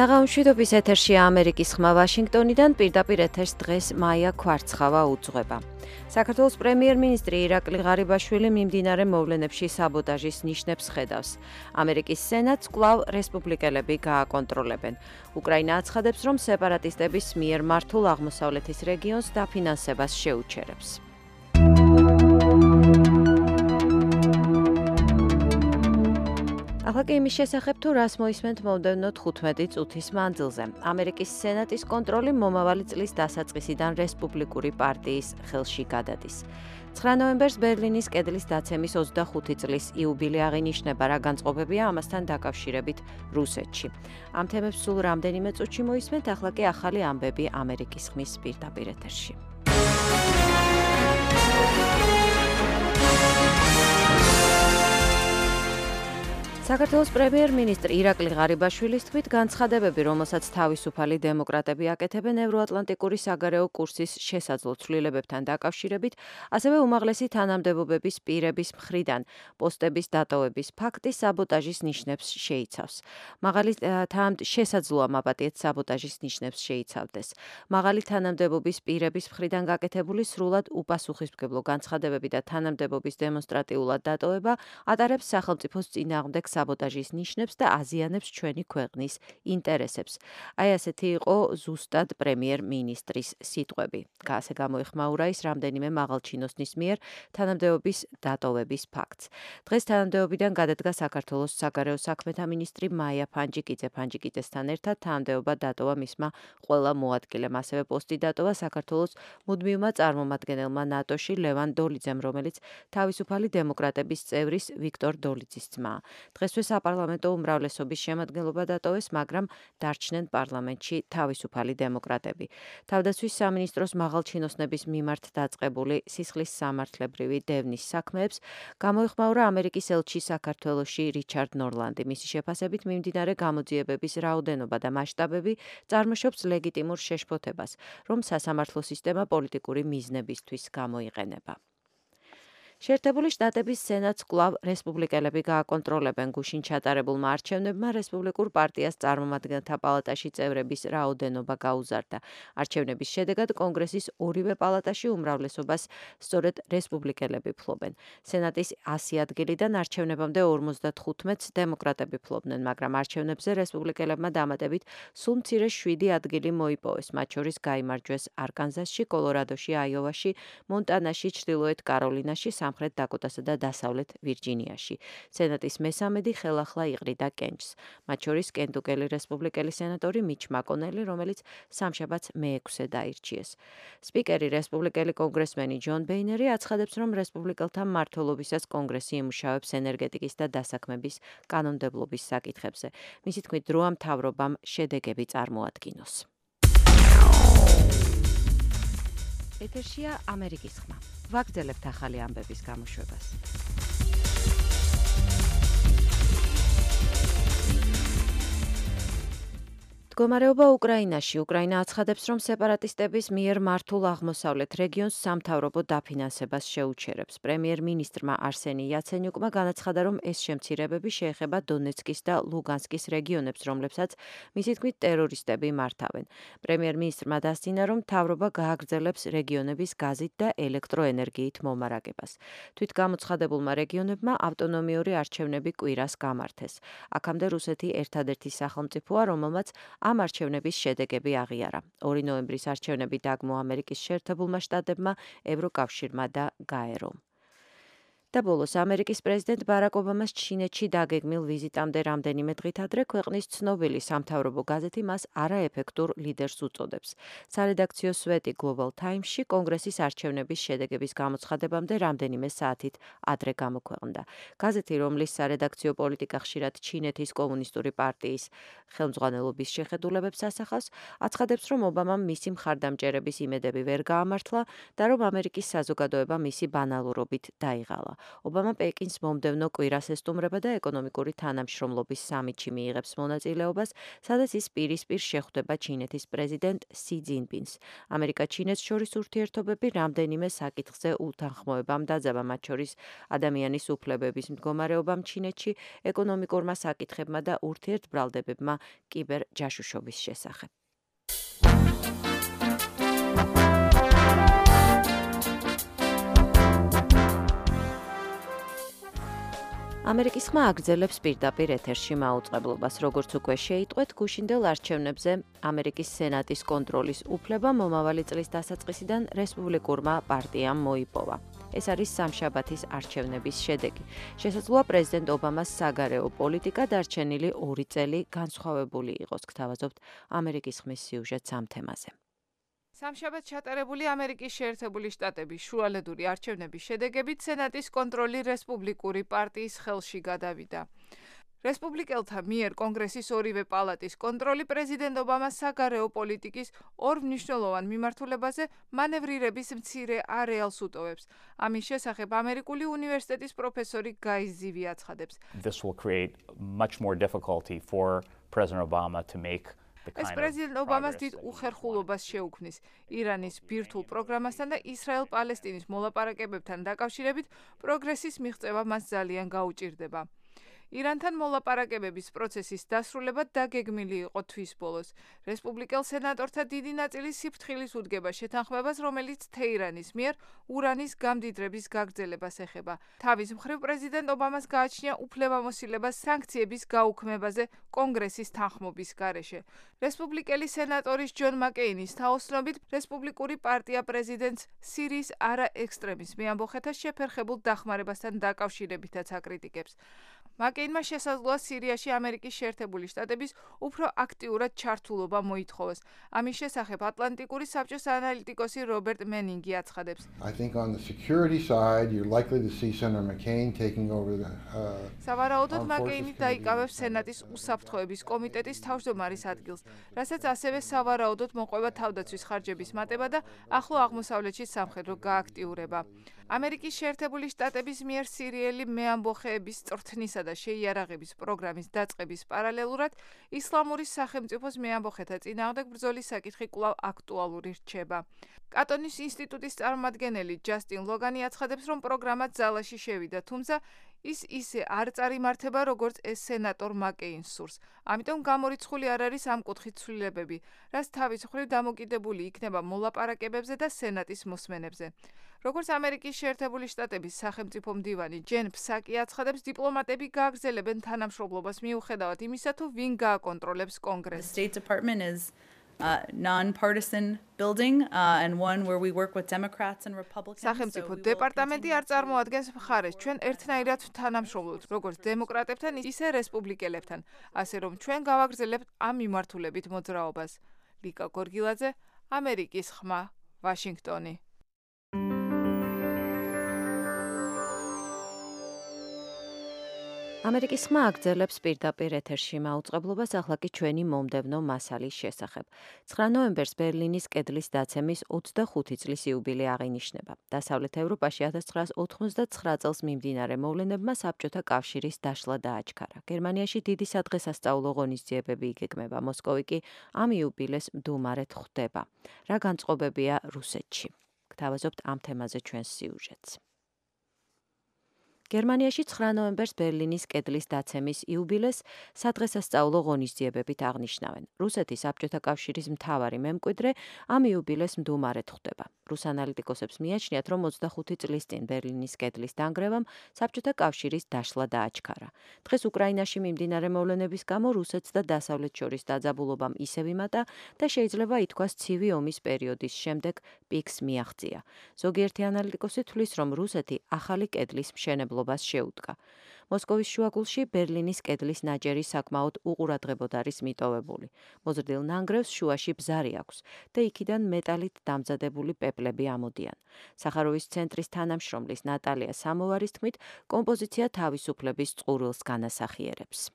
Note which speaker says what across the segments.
Speaker 1: საღამოშვიდობის ეთერშია ამერიკის ხმა ვაშინგტონიდან, პირდაპირ ეთერს დღეს მაია ქვარცხავა უძღვება. საქართველოს პრემიერ-მინისტრი ირაკლი ღარიბაშვილი მიმდინარე მოვლენებში საბოტაჟის ნიშნებს ხედავს. ამერიკის სენატს კვლავ რესპუბლიკელები გააკონტროლებენ. უკრაინა აცხადებს, რომ სეპარატისტების მიერ მართულ აღმოსავლეთის რეგიონს დაფინანსებას შეუჩერებს. ახლა კი იმის შესახებ, თუ რას მოისმენთ მომდევნო 15 წუთის მანძილზე. ამერიკის სენატის კონტროლი მომავალი წლის დასაწყისიდან რესპუბლიკური პარტიის ხელში გადადის. 9 ნოემბერს ბერლინის კედლის დაცემის 25 წლის იუბილე აღინიშნება, რა განწყობებია ამასთან დაკავშირებით რუსეთში. ამ თემებს სულ რამდენიმე წუთში მოისმენთ, ახლა კი ახალი ამბები ამერიკის ხმის პირდაპირ ეთერში. საქართველოს პრემიერ-მინისტრი ირაკლი ღარიბაშვილის თქმით, განცხადებები, რომელსაც თავისუფალი დემოკრატები აკეთებენ ევროატლანტიკური საგარეო კურსის შესაძლო ცვლილებებთან დაკავშირებით, ასევე უმაღლესი თანამდებობების პირების მხრიდან პოსტების დატოვების ფაქტი საბოტაჟის ნიშნებს შეიცავს. შესაძლოა მაპატიეთ საბოტაჟის ნიშნებს შეიცავდეს. მაღალი თანამდებობის პირების მხრიდან გაკეთებული სრულად უპასუხისმგებლო განცხადებები და თანამდებობის დემონსტრატიულად დატოვება ატარებს სახელმწიფოს წინააღმდეგ საბოტაჟის ნიშნებს და აზიანებს ჩვენი ქვეყნის ინტერესებს. აი ასეთი იყო ზუსტად პრემიერ-მინისტრის სიტყვები. ასე გამოიხმაურა ის რამდენიმე მაღალჩინოსნის მიერ თანამდებობის დატოვების ფაქტს. დღეს თანამდებობიდან გადადგა საქართველოს საგარეო საქმეთა მინისტრი მაია ფანჯიკიძესთან ერთად თანამდებობა დატოვა მისმა ყველა მოადგილემ. ასევე პოსტი დატოვა საქართველოს მუდმივმა წარმომადგენელმა ნატოში ლევან დოლიძემ, რომელიც თავისუფალი დემოკრატების წევრის ვიქტორ დოლიძის ძმაა. დღესვე საპარლამენტო უმრავლესობის შემადგენლობა დატოვეს, მაგრამ დარჩნენ პარლამენტში თავისუფალი დემოკრატები. თავდაცვის სამინისტროს მაღალჩინოსნების მიმართ დაწყებული სისხლის სამართლებრივი დევნის საქმეებს გამოიხმაურა ამერიკის ელჩი საქართველოში რიჩარდ ნორლანდი. მისი შეფასებით მიმდინარე გამოძიებების რაოდენობა და მასშტაბები წარმოშობს ლეგიტიმურ შეშფოთებას, რომ სასამართლო სისტემა პოლიტიკური მიზნებისთვის გამოიყენება. შეერთებული შტატების სენატს კვლავ რესპუბლიკელები გააკონტროლებენ. გუშინ ჩატარებულმა არჩევნებმა რესპუბლიკურ პარტიას წარმომადგენელთა პალატაში წევრების რაოდენობა გაუზარდა. არჩევნების შედეგად კონგრესის ორივე პალატაში უმრავლესობას სწორედ რესპუბლიკელები ფლობენ. სენატის 100 ადგილიდან არჩევნებამდე 55-ს დემოკრატები ფლობდნენ, მაგრამ არჩევნებზე რესპუბლიკელებმა დამატებით სულ მცირე 7 ადგილი მოიპოვეს, მათ შორის გაიმარჯვეს არკანზასში, კოლორადოში, აიოვაში, მონტანაში, ჩრდილოეთ კაროლინაში, სამხრეთ დაკოტასა და დასავლეთ ვირჯინიაში. სენატის მესამედი ხელახლა იყრიდა კენჭს. მათ შორის კენტუკელი რესპუბლიკელი სენატორი მიჩ მაკონელი, რომელიც სამშაბათს მე-6-ე დაირჩიეს. სპიკერი რესპუბლიკელი კონგრესმენი ჯონ ბეინერი აცხადებს, რომ რესპუბლიკელთა მმართველობისას კონგრესი იმუშავებს ენერგეტიკის და დასაქმების კანონმდებლობის საკითხებზე. მისი თქმით, დროა მთავრობამ შედეგები წარმოადგინოს. ეთერშია ამერიკის ხმა. ვაგრძელებთ ახალი ამბების გამოშვებას. მდგომარეობა უკრაინაში. უკრაინა აცხადებს, რომ სეპარატისტების მიერ მართულ აღმოსავლეთ რეგიონს სამთავრობო დაფინანსებას შეუჩერებს. პრემიერ-მინისტრმა არსენი იაცენიუკმა განაცხადა, რომ ეს შემცირებები შეეხება დონეცკის და ლუგანსკის რეგიონებს, რომლებსაც მისი თქმით ტერორისტები მართავენ. პრემიერ-მინისტრმა დასძინა, რომ მთავრობა გააგრძელებს რეგიონების გაზით და ელექტროენერგიით მომარაგებას. თვით გამოცხადებულმა რეგიონებმა ავტონომიური არჩევნები კვირას გამართეს. აქამდე რუსეთი ერთადერთი სახელმწიფოა, რომელმაც ამ არჩევნების შედეგები აღიარა. 2 ნოემბრის არჩევნები დაგმო ამერიკის შეერთებულმა შტატებმა, ევროკავშირმა და გაერომ. და ბოლოს ამერიკის პრეზიდენტ ბარაკ ობამას ჩინეთში დაგეგმილ ვიზიტამდე რამდენიმე დღით ადრე ქვეყნის ცნობილი სამთავრობო გაზეთი მას არაეფექტურ ლიდერს უწოდებს. სარედაქციო სვეტი Global Times-ში კონგრესის არჩევნების შედეგების გამოცხადებამდე რამდენიმე საათით ადრე გამოქვეყნდა. გაზეთი, რომლის სარედაქციო პოლიტიკა ხშირად ჩინეთის კომუნისტური პარტიის ხელმძღვანელობის შეხედულებებს ასახავს, აცხადებს, რომ ობამამ მისი მხარდამჭერების იმედები ვერ გაამართლა და რომ ამერიკის საზოგადოება მისი ბანალურობით დაიღალა. ობამა პეკინს მომდევნო კვირას ესტუმრება და ეკონომიკური თანამშრომლობის სამიტში მიიღებს მონაწილეობას, სადაც ის პირისპირ შეხვდება ჩინეთის პრეზიდენტ სი ძინპინს. ამერიკა-ჩინეთს შორის ურთიერთობები რამდენიმე საკითხზე უთანხმოებამ დაძაბა, მათ შორის ადამიანის უფლებების მდგომარეობამ ჩინეთში, ეკონომიკურმა საკითხებმა და ურთიერთბრალდებებმა კიბერჯაშუშობის შესახებ. ამერიკის ხმა აგრძელებს პირდაპირ ეთერში მაუწყებლობას, როგორც უკვე შეიტყვეთ, გუშინდელ არჩევნებზე ამერიკის სენატის კონტროლის უფლება მომავალი წლის დასაწყისიდან რესპუბლიკურმა პარტიამ მოიპოვა. ეს არის სამშაბათის არჩევნების შედეგი. შესაძლოა პრეზიდენტ ობამას საგარეო პოლიტიკა დარჩენილი 2 წელი განსხვავებული იყოს, გთავაზობთ ამერიკის ხმის სიუჟეტს ამ თემაზე.
Speaker 2: სამშაბათ ჩატარებული ამერიკის შეერთებული შტატების შუალედური არჩევნების შედეგებით სენატის კონტროლი რესპუბლიკური პარტიის ხელში გადავიდა. რესპუბლიკელთა მიერ კონგრესის ორივე პალატის კონტროლი პრეზიდენტ ობამას საგარეო პოლიტიკის ორ მნიშვნელოვან მიმართულებაზე მანევრირების მცირე არეალს უტოვებს. ამის შესახებ ამერიკული უნივერსიტეტის პროფესორი გაი ზივი აცხადებს.
Speaker 3: This will create much more difficulty for President Obama to make
Speaker 2: ეს პრეზიდენტ ობამას დიდ უხერხულობას შეუქმნის ირანის ბირთვულ პროგრამასთან და ისრაელ-პალესტინის მოლაპარაკებებთან დაკავშირებით პროგრესის მიღწევა მას ძალიან გაუჭირდება. ირანთან მოლაპარაკებების პროცესის დასრულება დაგეგმილი იყო თვის ბოლოს. რესპუბლიკელ სენატორთა დიდი ნაწილი სიფრთხილის უდგება შეთანხმებას, რომელიც თეირანის მიერ ურანის გამდიდრების გაგრძელებას ეხება. თავის მხრივ პრეზიდენტ ობამას გააჩნია უფლებამოსილება სანქციების გაუქმებაზე კონგრესის თანხმობის გარეშე. რესპუბლიკელი სენატორის ჯონ მაკეინის თაოსნობით რესპუბლიკური პარტია პრეზიდენტს სირიის არაექსტრემიზმი ამბოხეთას შეფერხებულ დახმარებასთან დაკავშირებითაც აკრიტიკებს. მაკეინმა შესაძლოა სირიაში ამერიკის შეერთებული შტატების უფრო აქტიურად ჩართულობა მოითხოვოს. ამის შესახებ ატლანტიკური საბჭოს ანალიტიკოსი რობერტ მენინგი აცხადებს.
Speaker 4: I think on the security side you're likely to see Senator McCain taking over the
Speaker 2: სავარაუდოდ მაკეინი დაიკავებს სენატის უსაფრთხოების კომიტეტის თავმჯდომარის ადგილს, რასაც ასევე სავარაუდოდ მოყვება თავდაცვის ხარჯების მატება და ახლო აღმოსავლეთში სამხედრო გააქტიურება. ამერიკის შეერთებული შტატების მიერ სირიელი მეამბოხეების წვრთნისა და შეიარაღების პროგრამის დაწყების პარალელურად ისლამური სახელმწიფოს მეამბოხეთა წინააღმდეგ ბრძოლის საკითხი კვლავ აქტუალური რჩება. კატონის ინსტიტუტის წარმომადგენელი ჯასტინ ლოგანი აცხადებს, რომ პროგრამა ძალაში შევიდა, თუმცა ის ისე არ წარიმართება, როგორც ეს სენატორ მაკეინს სურს. ამიტომ გამორიცხული არ არის ამ კუთხით ცვლილებები, რაც თავის მხრივ დამოკიდებული იქნება მოლაპარაკებებზე და სენატის მოსმენებზე. როგორც ამერიკის შეერთებული შტატების სახელმწიფო მდივანი ჯენ ფსაკი აცხადებს, დიპლომატები გააგრძელებენ თანამშრომლობას მიუხედავად იმისა, თუ ვინ გააკონტროლებს კონგრესს.
Speaker 5: Non-partisan building and one where we work with Democrats and Republicans.
Speaker 2: სახელმწიფო დეპარტამენტი არ წარმოადგენს მხარეს. ჩვენ ერთნაირად თანამშრომლობთ, როგორც დემოკრატებთან, ისე რესპუბლიკელებთან, ასე რომ ჩვენ გავაგრძელებთ ამ მიმართულებით მოძრაობას. ლიკა გორგილაძე, ამერიკის ხმა, ვაშინგტონი.
Speaker 1: ამერიკის ხმა აგრძელებს პირდაპირ ეთერში მაუწყებლობას, ახლა კი ჩვენი მომდევნო მასალის შესახებ. 9 ნოემბერს ბერლინის კედლის დაცემის 25 წლის იუბილე აღინიშნება. დასავლეთ ევროპაში 1989 წელს მიმდინარე მოვლენებმა საბჭოთა კავშირის დაშლა დააჩქარა. გერმანიაში დიდი სადღესასწაულო ღონისძიებები იგეგმება. მოსკოვი კი ამ იუბილეს მდუმარედ ხვდება. რა განწყობებია რუსეთში? გთავაზობთ ამ თემაზე ჩვენს სიუჟეტს. გერმანიაში 9 ნოემბერს ბერლინის კედლის დაცემის იუბილეს სადღესასწაულო ღონისძიებებით აღნიშნავენ. რუსეთის საბჭოთა კავშირის მთავარი მემკვიდრე ამ იუბილეს მდუმარედ ხვდება. რუს ანალიტიკოსებს მიაჩნიათ, რომ 25 წლის წინ ბერლინის კედლის დანგრევამ საბჭოთა კავშირის დაშლა დააჩქარა. დღეს უკრაინაში მიმდინარე მოვლენების გამო რუსეთს და დასავლეთს შორის დაძაბულობამ ისევ იმატა და შეიძლება ითქვას ცივი ომის პერიოდის შემდეგ პიკს მიაღწია. ზოგიერთი ანალიტიკოსი თვლის, რომ რუსეთი ახალი კედლის მშენებლობას შეუდგა. მოსკოვის შუაგულში ბერლინის კედლის ნაჭერი საკმაოდ უყურადღებოდ არის მიტოვებული. მოზრდილ ნანგრევს შუაში ბზარი აქვს და იქიდან მეტალით დამზადებული პეპლები ამოდიან. სახაროვის ცენტრის თანამშრომლის ნატალია სამოვარის თქმით, კომპოზიცია თავისუფლების წყურვილს განასახიერებს.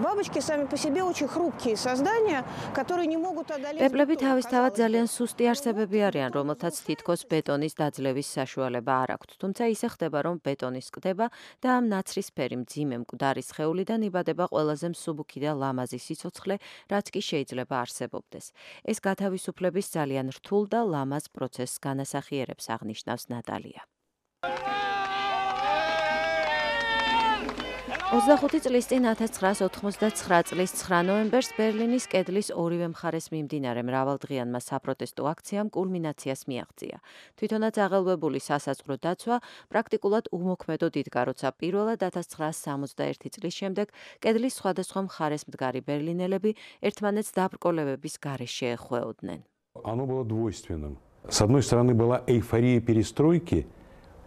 Speaker 6: Бабочки сами по себе очень хрупкие создания, которые не могут одолеть.
Speaker 1: პეპლები თავისთავად ძალიან სუსტი არსებები არიან, რომელთაც თითქოს ბეტონის დაძლევის საშუალება არ აქვთ. თუმცა ისე ხდება, რომ ბეტონი სკდება და ამ ნაცრისფერი მძიმე მკვდარი სხეულიდან იბადება ყველაზე მსუბუქი და ლამაზი სიცოცხლე, რაც კი შეიძლება არსებობდეს. ეს გათავისუფლების ძალიან რთულ და ლამაზ პროცესს განასახიერებს, აღნიშნავს ნატალია. 25 წლის წინ 1989 წლის 9 ნოემბერს ბერლინის კედლის ორივე მხარეს მიმდინარე მრავალდღიანმა საპროტესტო აქციამ კულმინაციას მიაღწია. თვითონაც აღელვებული სასაზღვრო დაცვა პრაქტიკულად უმოქმედოდ იდგა, როცა პირველად 1961 წლის შემდეგ კედლის სხვადასხვა მხარეს მდგარი ბერლინელები ერთმანეთს დაბრკოლებების გარეშე შეეხვეოდნენ.
Speaker 7: Оно было двойственным. С одной стороны была эйфория перестройки,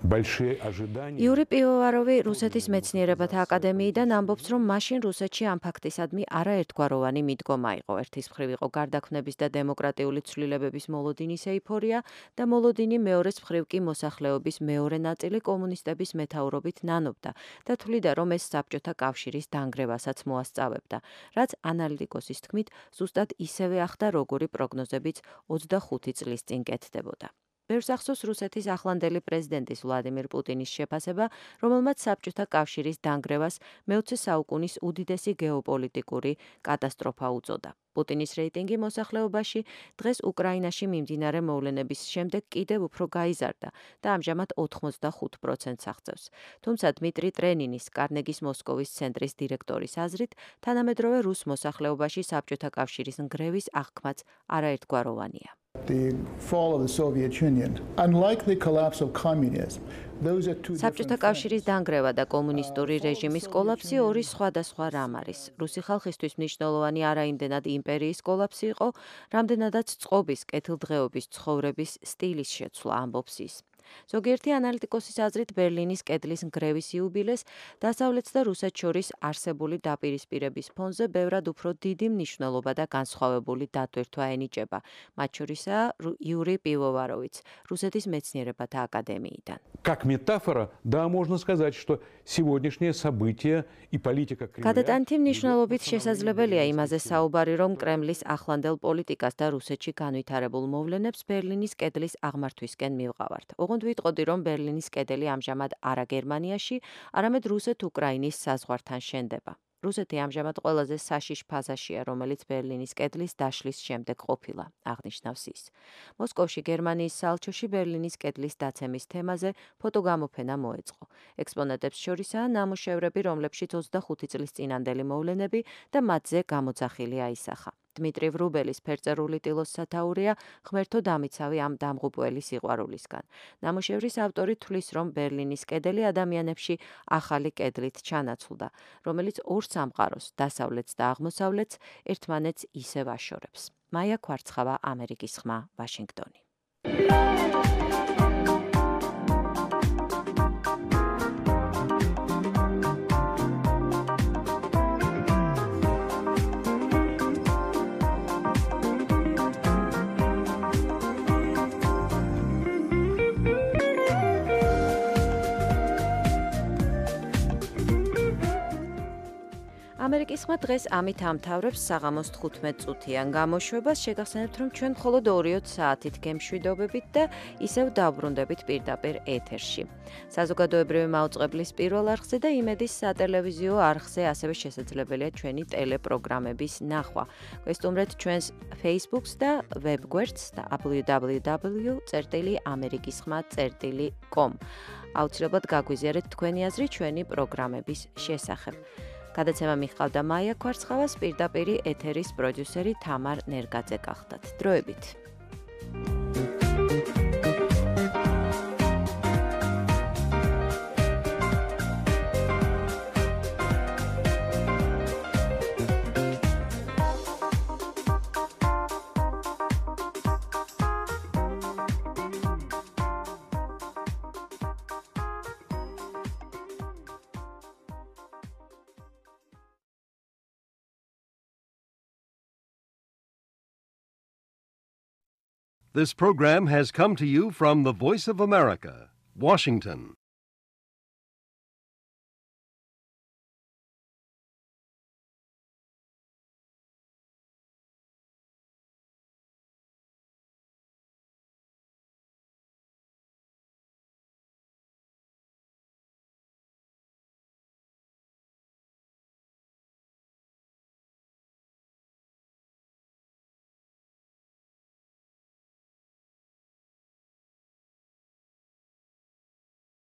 Speaker 7: большие ожидания.
Speaker 1: იური პივოვაროვი რუსეთის მეცნიერებათა აკადემიიდან ამბობს, რომ მაშინ რუსეთში ამ ფაქტისადმი არაერთგვაროვანი მიდგომა იყო. ერთის მხრივ იყო გარდაქმნების და დემოკრატიული ცვლილებების მოლოდინის ეიფორია და მოლოდინი მეორეს მხრივ კი მოსახლეობის მეორე ნაწილი კომუნისტების მეთაურობით ნანობდა და თვლიდა, რომ ეს საბჭოთა კავშირის დანგრევასაც მოასწავებდა, რაც ანალიტიკოსის თქმით ზუსტად ისევე ახდა, როგორი პროგნოზებიც 25 წლის წინ კეთდებოდა. ბევრს ახსოვს რუსეთის ახლანდელი პრეზიდენტის ვლადიმირ პუტინის შეფასება, რომელმაც საბჭოთა კავშირის დანგრევას მე-20 საუკუნის უდიდესი გეოპოლიტიკური კატასტროფა უწოდა. პუტინის რეიტინგი მოსახლეობაში დღეს უკრაინაში მიმდინარე მოვლენების შემდეგ კიდევ უფრო გაიზარდა და ამჟამად 85%-ს აღწევს. თუმცა დმიტრი ტრენინის კარნეგის მოსკოვის ცენტრის დირექტორის აზრით, თანამედროვე რუს მოსახლეობაში საბჭოთა კავშირის ნგრევის აღქმაც არაერთგვაროვანია.
Speaker 8: The fall of the Soviet Union, unlike the collapse of communism, those are two
Speaker 1: საბჭოთა კავშირის დანგრევა და კომუნისტური რეჟიმის კოლაფსი ორი სხვადასხვა რამ არის. რუსი ხალხისთვის მნიშვნელოვანი არა იმდენად იმპერიის კოლაფსი იყო, რამდენადაც წყობის, კეთილდღეობის, ცხოვრების სტილის შეცვლა, ამბობს ის. ზოგიერთი ანალიტიკოსის აზრით ბერლინის კედლის ნგრევის იუბილეს დასავლეთს და რუსეთს შორის არსებული დაპირისპირების ფონზე ბევრად უფრო დიდი მნიშვნელობა და განსხვავებული დატვირთვა ენიჭება, მათ შორისაა იური პივოვაროვიც, რუსეთის მეცნიერებათა აკადემიიდან.
Speaker 7: Как метафора, да, можно сказать, что сегодняшнее событие и политика Кремля.
Speaker 1: გადატანითი მნიშვნელობით შესაძლებელია იმაზე საუბარი, რომ კრემლის ახლანდელ პოლიტიკას და რუსეთში განვითარებულ მოვლენებს ბერლინის კედლის აღმართვისკენ მივყავართ. ოღონდ ვიტყოდი, რომ ბერლინის კედელი ამჟამად არა გერმანიაში, არამედ რუსეთ-უკრაინის საზღვართან შენდება. რუსეთი ამჟამად ყველაზე საშიშ ფაზაშია, რომელიც ბერლინის კედლის დაშლის შემდეგ ყოფილა, აღნიშნავს ის. მოსკოვში გერმანიის საელჩოში ბერლინის კედლის დაცემის თემაზე ფოტოგამოფენა მოეწყო. ექსპონატებს შორისაა ნამუშევრები, რომლებშიც 25 წლის წინანდელი მოვლენები და მათზე გამოძახილი აისახა. დმიტრი ვრუბელის ფერწერული ტილოს სათაურია ღმერთო დამიცავი ამ დამღუპველი სიყვარულისგან. ნამუშევრის ავტორი თვლის, რომ ბერლინის კედელი ადამიანებში ახალი კედლით ჩანაცვლდა, რომელიც ორ სამყაროს, დასავლეთს და აღმოსავლეთს ერთმანეთს ისევ აშორებს. მაია ქვარცხავა, ამერიკის ხმა, ვაშინგტონი. ამერიკის ხმა დღეს ამით ამთავრებს საღამოს 15 წუთიან გამოშვებას. შეგახსენებთ, რომ ჩვენ მხოლოდ 2-3 საათით გემშვიდობებით და ისევ დავბრუნდებით პირდაპირ ეთერში. საზოგადოებრივი მაუწყებლის პირველ არხზე და იმედის სატელევიზიო არხზე ასევე შესაძლებელია ჩვენი ტელეპროგრამების ნახვა. გვესტუმრეთ ჩვენს Facebook-ს და ვებგვერდს და www.amerikisxma.com. აუცილებლად გაგვიზიარეთ თქვენი აზრი ჩვენი პროგრამების შესახებ. გადაცემა მიჰყავდა მაია ქვარცხავას, პირდაპირი ეთერის პროდიუსერი თამარ ნერგაძე გახდათ. დროებით.
Speaker 9: This program has come to you from the Voice of America, Washington.